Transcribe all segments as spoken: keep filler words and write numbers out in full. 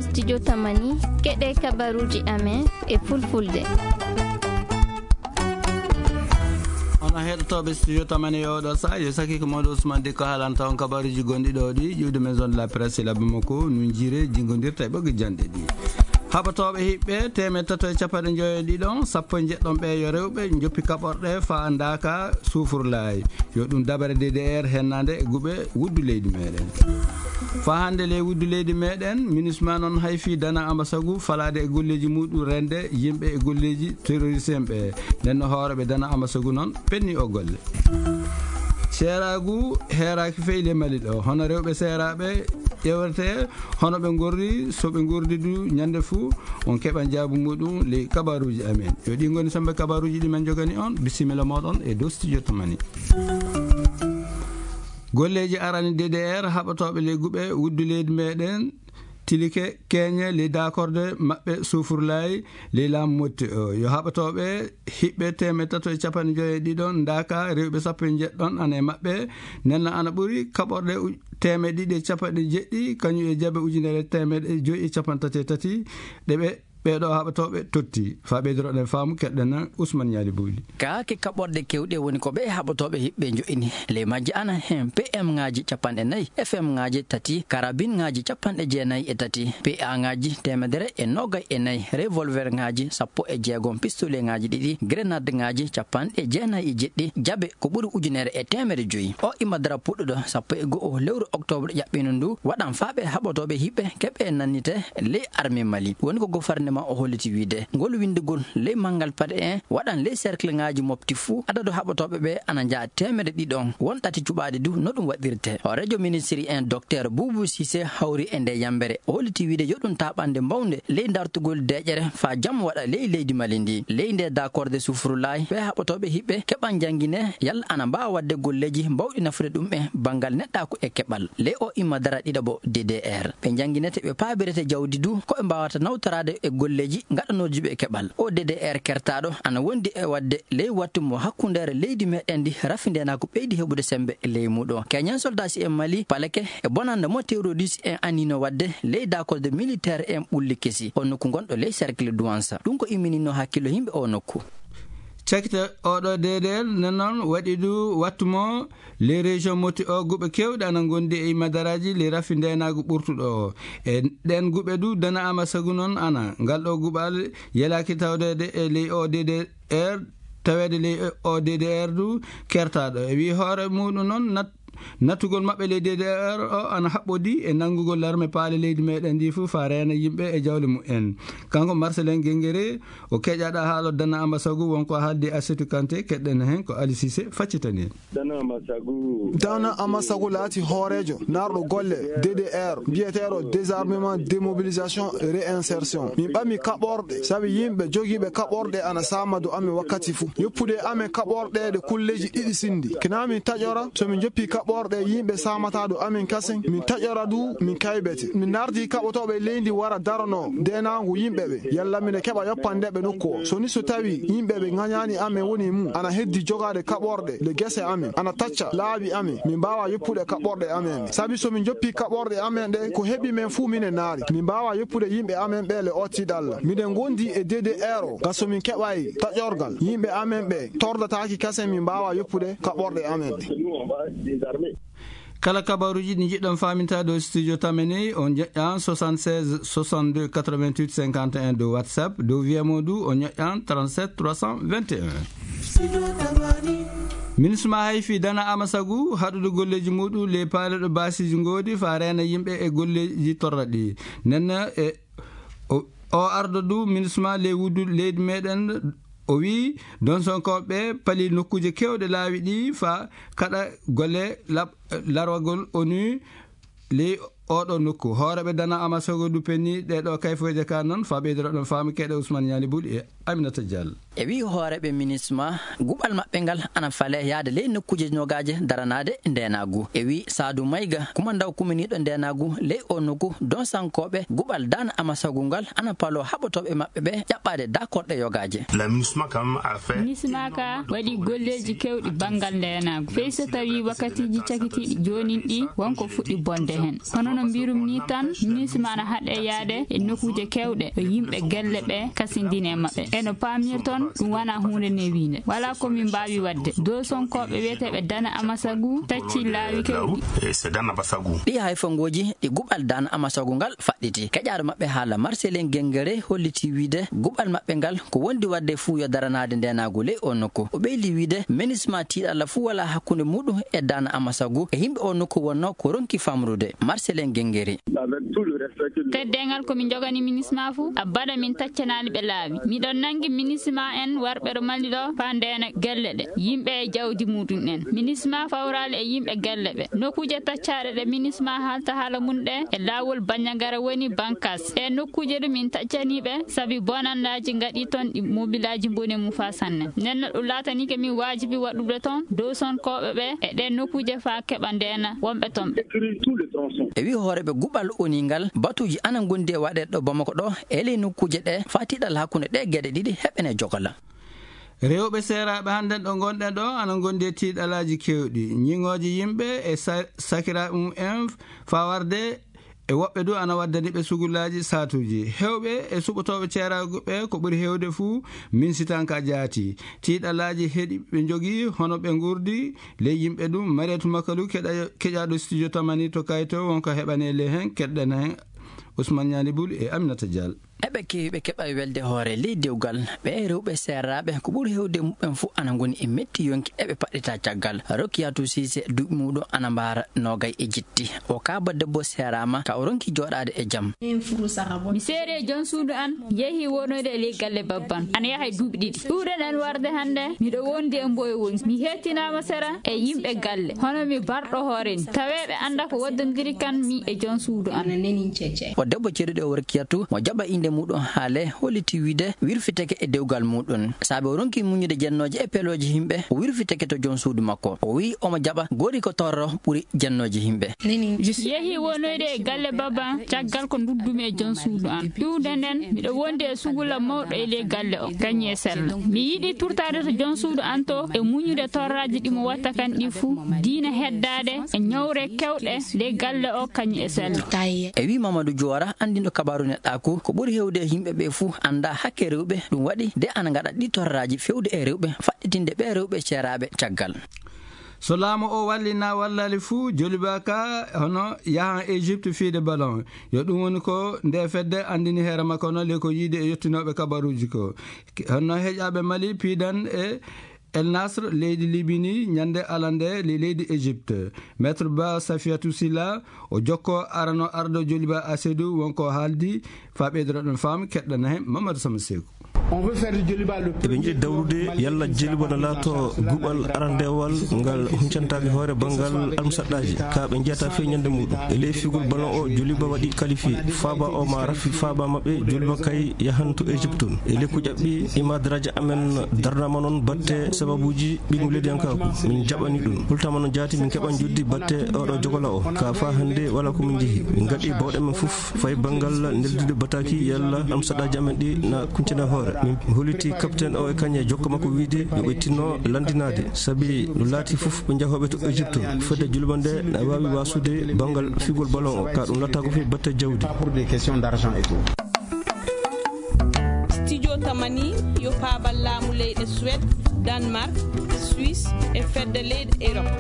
Studio Tamani, keɗe kabaruji amen e fulfulde. Onon heɗotooɓe Studio Tamani e oɗo saha, yo saki ko Mawɗo Ousmane Dikko haalanta on kabaruji gonɗi ɗo ɗi, ƴiwde maison de la presse e labbi makko, nun jiire jingondirta e ɓoggi janɗe ɗi. Haɓotooɓe hiɓɓe teemeɗɗe tato e capanɗe joyo e ɗiɗon, sappo e jeɗɗon ɓe yo rewɓe njoppi kaɓorɗe fa ndaka sufurlaay. Yo ɗum dabare D D R hennande e guɓe wuddu leydi meɗen. Fa hannde ley wuddu leydi meɗen, minisma noon hay fii dana amasagu falaade e golleeji muɗum rende yimɓe e golleeji terroriste en ɓe. Nden no hooreɓe dana amasagu noon penni o golle. Seeraagu heeraaki fey le Mali ɗo. Hono rewɓe seeraaɓe ƴewrete, hono ɓe ngorri, so ɓe ngordi du ñande fuu, on keɓan jaabu muɗum ley kabaruuji amen. Yo ɗi ngoni sembe kabaruuji ɗi men jogani on. Bisimilla moɗon e dow studio Tamani. Golleeji arani D D R haɓotooɓe ley guɓe wuddu leydi meɗen tilike keñe ley dakorde maɓɓe sufurlayi ley laamu motti o. Yo haɓotooɓe hiɓɓe teemeɗɗe tato e capanɗe joyo e ɗiɗon ndaka rewɓe sappo e jeɗɗon ana e maɓɓe. Nenna ana ɓuri kaɓorɗe u-, teemeɗɗe ɗiɗi e capanɗe jeɗɗi, kañum e jabe ujunere teemeɗɗe joyi e capanɗe tati e tati, ɗe ɓe, ɓeeɗo haɓotooɓe totti. Fa ɓeydoroɗen faamu, keɗɗen Ousmane Ñaali Buuli. Kaake kaɓorɗe kewɗe woni ko ɓe haɓotooɓe hiɓɓe jo'ini. Ley majje ana hen P M ŋaaji capanɗe nayi, F M ŋaaji tati, karabin ŋaaji capanɗe jeenayi e tati, P A ŋaaji teemedere e noogay e nayi, revolver ŋaaji sappo e jeegom, pistolet ŋaaji ɗiɗi, grenade ŋaaji capanɗe jeenayi e jeɗɗi, jabe ko ɓuri ujunere e teemere joyi. O ima dara puɗɗuɗo sappo e go'o lewru oktoobre ƴaɓɓino ndu, waɗan faaɓe haɓotooɓe hiɓɓe keɓe nannite ley armée Mali. Woni ko gofarnema o holliti wiide, ngol winndugol ley manngal paɗe en waɗan ley cercle ŋaaji mofti fuu, adadu haɓotooɓe ɓe ana njaha teemedde ɗiɗon, won ɗati cuɓaaɗi du no ɗum waɗirte. Hooreejo ministiri en Docteur Boubou Cissé hawri e nde yambere. O holliti wiide yo ɗum taaɓande mbawnde ley dartugol deeƴere faa jam waɗa ley leydi Mali ndi. Ley nde dakorde sufurulaay, ɓe haɓotooɓe hiɓɓe keɓan janngine yalla ana mbaawa waɗde golleeji mbawɗi nafude ɗum e banngal neɗɗaaku e keɓal. Ley o imma dara ɗiɗaɓo D D R. Ɓe njannginete, ɓe paabirete jawdi du, ko ɓe mbaawata nawtoraade e golleeji ngaɗanooji ɓe e keɓal. O D D R kertaaɗo ana wondi e waɗde ley wattu mo hakkundeere leydi meɗen ndi rafi ndeenaaku ɓeydi heɓude sembe ley muuɗo. Keñen soldaasi en Mali, paleke e bonannde mo terroriste en anino waɗde ley dakorde militaire en ɓulli kesi, o nokku gonɗo ley cercle Douansa. Ɗum ko imminino hakkillo yimɓe o nokku. Cakita oɗo D D R, nden noon waɗi du wattu mo Les régions moti o guɓe kewɗe ana ngondi e madaraaji ley rafi ndeenaagu ɓurtuɗo o. E ɗen guɓe du dana ama sagu noon ana. Ngal ɗo guɓal yelaaki tawdeede e ley o D D R, taweede ley o D D R du kertaaɗo. E wii hoore muuɗum noon nat-, nattugol maɓɓe ley D D R o ana haɓɓodi e nanngugol larme paale leydi meɗen ndi fof faa reena yimɓe e jawle mumen. Kanko Marcelin Gengere o keƴaɗa haalo dana ama sagu wonko haaldi Asetu Kante, keɗɗen heen ko Ali Cissé faccitani en. Dana Amasagu. Dana Amasagu laati hooreejo naarɗo golle D D R, mbiyeteeɗo désarmement, démobilisation et réinsertion. Min ɓami kaɓorɗe, sabi yimɓe jogiiɓe kaɓorɗe ana saama dow amen wakkati fuu. Yoppude amen kaɓorɗe ɗe kulleeji ɗiɗi sindi. Kina min taƴora, so min joppi kaɓorɗe yimɓe saamata dow amen kasen, min taƴora du, min kaybete. Min ndardi kaɓotooɓe leydi wara darono deenaangu yimɓe ɓe. Yalla mine keɓa yoppande ɓe nokku o. So ni so tawi yimɓe ɓe ŋañaani amen woni mum, ana heddi jogaade kaɓorɗe le gese amen, ana tacca laabi amen, min mbaawa yoppude kaɓorɗe amen ɗe. Sabi so min joppi kaɓorɗe amen ɗe, ko heɓi men fuu mine naari. Min mbaawa yoppude yimɓe amen ɓe le otti ɗalla. Miɗen ngondi e D D R o, ga so min keɓay taƴorgal yimɓe amen ɓe tordataaki kasen min mbaawa yoppude kaɓorɗe amen ɗe. Kala kabaruuji ɗi njiɗɗon faamintaade o studio Tamani, on ƴoƴƴan soixante-seize soixante-deux quatre-vingt-huit cinquante et un dow WhatsApp, dow V M O du, on ƴoƴƴan trente-sept trois cent vingt et un. Minisma hay fii dana ama sagu haɗude golleeji muɗum ley paale ɗo baasiiji ngoodi faa reena yimɓe e golleeji torraɗi. Nden e o, o ardo du minisma ley wuddu leydi meɗen. O wi'i, Donsonkooɓe pali nokkuuje keewɗe laawi ɗi faa kaɗa golle lab-, larwagol O N U ley oɗo nokku. Hooreeɓe dana ama sagu du penni ɗee ɗo kayfooje ka noon faa ɓeydoro ɗon faamu keɗe Ousmane Ñaali Buuli e Aminata Diallo. E wii hooreeɓe minisma, guɓal maɓɓe ngal ana fale yaade ley nokkuuje nogaaje daranaade ndeenaagu. E wii Saadu Mayga, kumandaw kuminiiɗo ndeenaagu ley oo nokku, donsankooɓe guɓal Daana Amasagu ngal ana paloo haɓotooɓe maɓɓe ɓe ƴaɓɓaade daakorɗe yogaaje. La minisma kam a fait minisma ka waɗi golleeji keewɗi banngal ndeenaagu. Fey so tawii wakkatiiji cakitiiɗi joonin ɗi wonko fuɗɗi bonde heen. Hono no mbirum ni tan, minisma ana haɗe yaade e nokkuuje keewɗe ɗo yimɓe gelle ɓe kasindini e maɓɓe. E no paamirton, ɗum wonaa huunde newiinde. Walaa ko min mbaawi waɗde. Dosonkooɓe wiyeteeɓe Daana Amasagu tacci laawi keewɗi. E c'est Daana Amasagu. Ɗii hayfangooji ɗi guɓal Daana Amasagu ngal faɗɗiti. Keƴaaɗo maɓɓe haala Marcelin Gengere holliti wiide guɓal maɓɓe ngal ko wondi waɗde fuu yo daranaade ndeenaagu ley oo nokku. O ɓeydi wiide minisma tiiɗalla fuu walaa hakkunde muɗum e Daana Amasagu e yimɓe oo nokku wonnoo ko ronki famrude. Marcelin Gengere. Teddeengal ko min njogani minisma fuu, abada min taccanaali ɓe laawi. Miɗon nanngi minisma en warɓe ɗo Mali ɗo faa ndeena gelle ɗe, yimɓe e jawdi muɗum en. Minisma fawraali e yimɓe gelle ɓe. Nokkuuje taccaaɗe ɗe minisma haalta haala mum ɗe e laawol Banjagara woni Bankas. Ɗe nokkuuje ɗum min taccanii ɓe, sabi bonannaaji ngaɗii ton ɗi mobilaaji mboni mum faa sanne. Nden no ɗum laatanii ke min waajibi waɗude ton dosonkooɓe ɓe e ɗe nokkuuje faa keɓa ndeena wonɓe ton ɓe. E wii hooreeɓe guɓal O N U ngal, batuuji ana ngondi e waɗeede ɗo Bamako ɗo e ley nokkuuje ɗe faa tiiɗalla hakkunde ɗee geɗe ɗiɗi heɓene jogola. Rewɓe seeraaɓe hannden ɗo ngonɗen ɗo ana ngondi e tiiɗalaaji keewɗi. Ñiŋooji yimɓe e sa-, sakiraaɓe mum en faa warde e woɓɓe du ana waddani ɓe sugulaaji saatuuji. Heewɓe e suɓotooɓe ceeraagu ɓe ko ɓuri heewde fuu minsitanka jaati. Tiiɗalaaji heɗi ɓe njogii hono ɓe nguurdi ley yimɓe ɗum. Marietou Makalou keɗa-, keƴaaɗo studio Tamani to Kayto wonko heɓanee ley heen, keɗɗen heen Ousmane Niani Boul e Aminata Diallo. Eɓe keewi ɓe keɓa welde hoore ley dewgal. Ɓee rewɓe seeraaɓe ko ɓuri heewde muɓɓen fuu ana ngoni e metti yonki eɓe paɗɗita caggal. Rokiyatu Siise duuɓi muɗum ana mbaara noogay e jitti. O kaaba debbo seeraama ka o ronki jooɗaade e jam. Mi seeri e jom suudu an, yehi wonoyde e ley galle babban. Ana yaha e duuɓi ɗiɗi. Ɗuuɗe nen warde hannde, miɗo wondi e mboyo wonki. Mi hettinaama sera e yimɓe galle. Hono mi barɗo hoore ni. Taweeɓe annda ko waddondiri kan mi e jom suudu an. O debbo ceeɗuɗo o Rokiyatu, mo jaɓa innde muɗum haale, holliti wiide wirfitake e dewgal muɗum. Saabe o ronki muñude jennooje e pelooje yimɓe, o wirfitake to jom suudu makko. O wi'i omo jaɓa gori ko torro ɓuri jennooje yimɓe. Yehi wonoyde e galle baba, caggal ko nduddumi e jom suudu an. Iwde nden, miɗo wondi e sugula mawɗo e ley galle o, kañum e sella. Mi yiɗi turtaade to jom suudu an to e muñude torraaji ɗi mo watta kan ɗi fuu, diina heddaade e ñawre kewɗe ley galle o, kañum e sella. E wi Mamadou Diora, anndinɗo kabaaru neɗɗaaku, ko ɓuri heewde e yimɓe ɓe fuu annda hakke rewɓe, ɗum waɗi de ana ngaɗa ɗi torraaji fewde e rewɓe, faɗɗitinde ɓe rewɓe ceeraaɓe caggal. So laamu o walli na wallali fuu, Joliba ka hono yahan Égypte fiide ballon. Yo ɗum woni ko nde fedde anndini heere makko no le ko yiide e yettinooɓe kabaruuji ko. Hono heƴaaɓe Mali piidan e El Nasr, leydi Libi ni, ñande alande le-, leydi Égypte. Maître Ba Safiatou Silla, o jokko arano ardo Joliba Asedou, wonko haaldi, fa ɓeydoro ɗon fam, keɗɗana hen Mamadou Sama Sekou. On veut faire de Djoliba le Eɓe njiɗi dawrude yalla Joliba na laato guɓal arandewal ngal huncantaki hoore banngal almusaɗɗaaji, ka ɓe njiyata fii ñande muɗum. E ley figol ballon o, Joliba waɗi qualifié. Faaba o ma rafi faaba maɓɓe, Joliba kay yahanto Égypte tun. E ley ko ƴaɓɓi, ima daraja amen darnama non batte sababuji ɓiɗɗum leydiyankaaku. Min jaɓani ɗum. Hultama no jaati min keɓan joddi batte oɗo jogola o. Ka fa hannde wala ko min jehi. Min ngaɗi bawɗe men fof fay banngal neldude bataki yalla almusaɗɗaaji amen ɗi na kuncina hoore. Min holliti capitaine o e kañe jokka makko wiide yo ɓe tinno lanndinaade. Sabi no laati fof ɓe njahooɓe to Égypte. Fedde Joliba nde na waawi wasude banngal figol ballon o. Ka ɗum latta ko fii batte jawdi. Pas pour des questions d'argent et tout. Studio Tamani yo paabal laamu leyɗe Suède, Danemark, Suisse e fedde leyɗe Europe.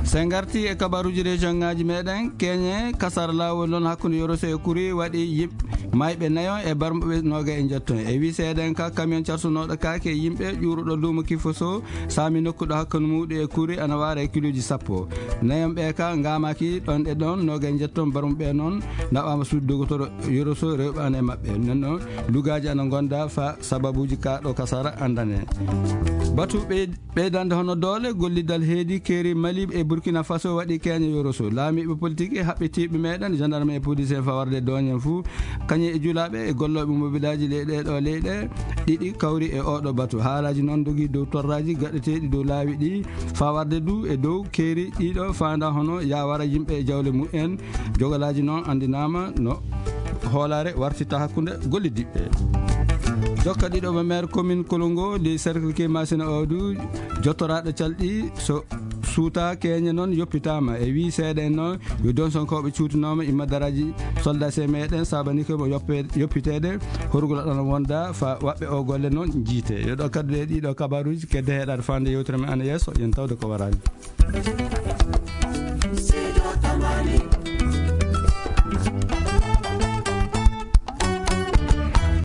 So en ngarti e kabaruuji région ŋaaji meɗen, keñe kasara laawol non hakkunde Yoroso e Kuri waɗi yimɓe mayɓe nayo e barmuɓe noogay e njetton. E wi seeɗen ka camion carsunooɗo kaake yimɓe ƴuuruɗo luumo Kifoso saami nokku ɗo hakkunde muuɗi e Kuri ana waara e kiluuji sappo. Nayon ɓe ka ngaamaaki ɗon e ɗon noogay e njetton, barmuɓe non naɓaama suudu dogotoro Yoroso rewɓe ana e maɓɓe. Nden non lugaaji ana gonda fa sababuuji ka ɗo kasara andane. Batu ɓe ɓeydande hono doole, gollidal heedi keeri Mali e Burkina Faso waɗi keñe Yoroso. Laamiiɓe politique e haɓɓitiiɓe meɗen, gendarme e police en fawarde dooñen fuu. E julaaɓe e gollooɓe mobilaaji leyɗe ɗo leyɗe ɗiɗi kawri e oɗo batu. Haalaaji noon ndogi dow torraaji gaɗeteeɗi dow laawi ɗi, fawarde du e dow keeri ɗiɗo faanda hono yawara yimɓe e jawle mumen. Jogalaaji noon anndinaama no hoolaare wartitta hakkunde golliddiɓe. Jokka ɗiɗo mo maire commune Kolongo de cercle ke Masina Odu, jottoraaɗo calɗi so suuta keñe noon yoppitaama e wii seeɗa en noon yo donsonkooɓe cuutinooma imma daraaji soldat se meɗen sabani ko mo yoppe- yoppiteede horgol ɗon wonda fa waɓɓe o golle noon jiite. Yo ɗo kaddu e ɗiɗo kabaruuji kedde heɗaade fande yewtere men ana yeeso, yen tawde ko waraani.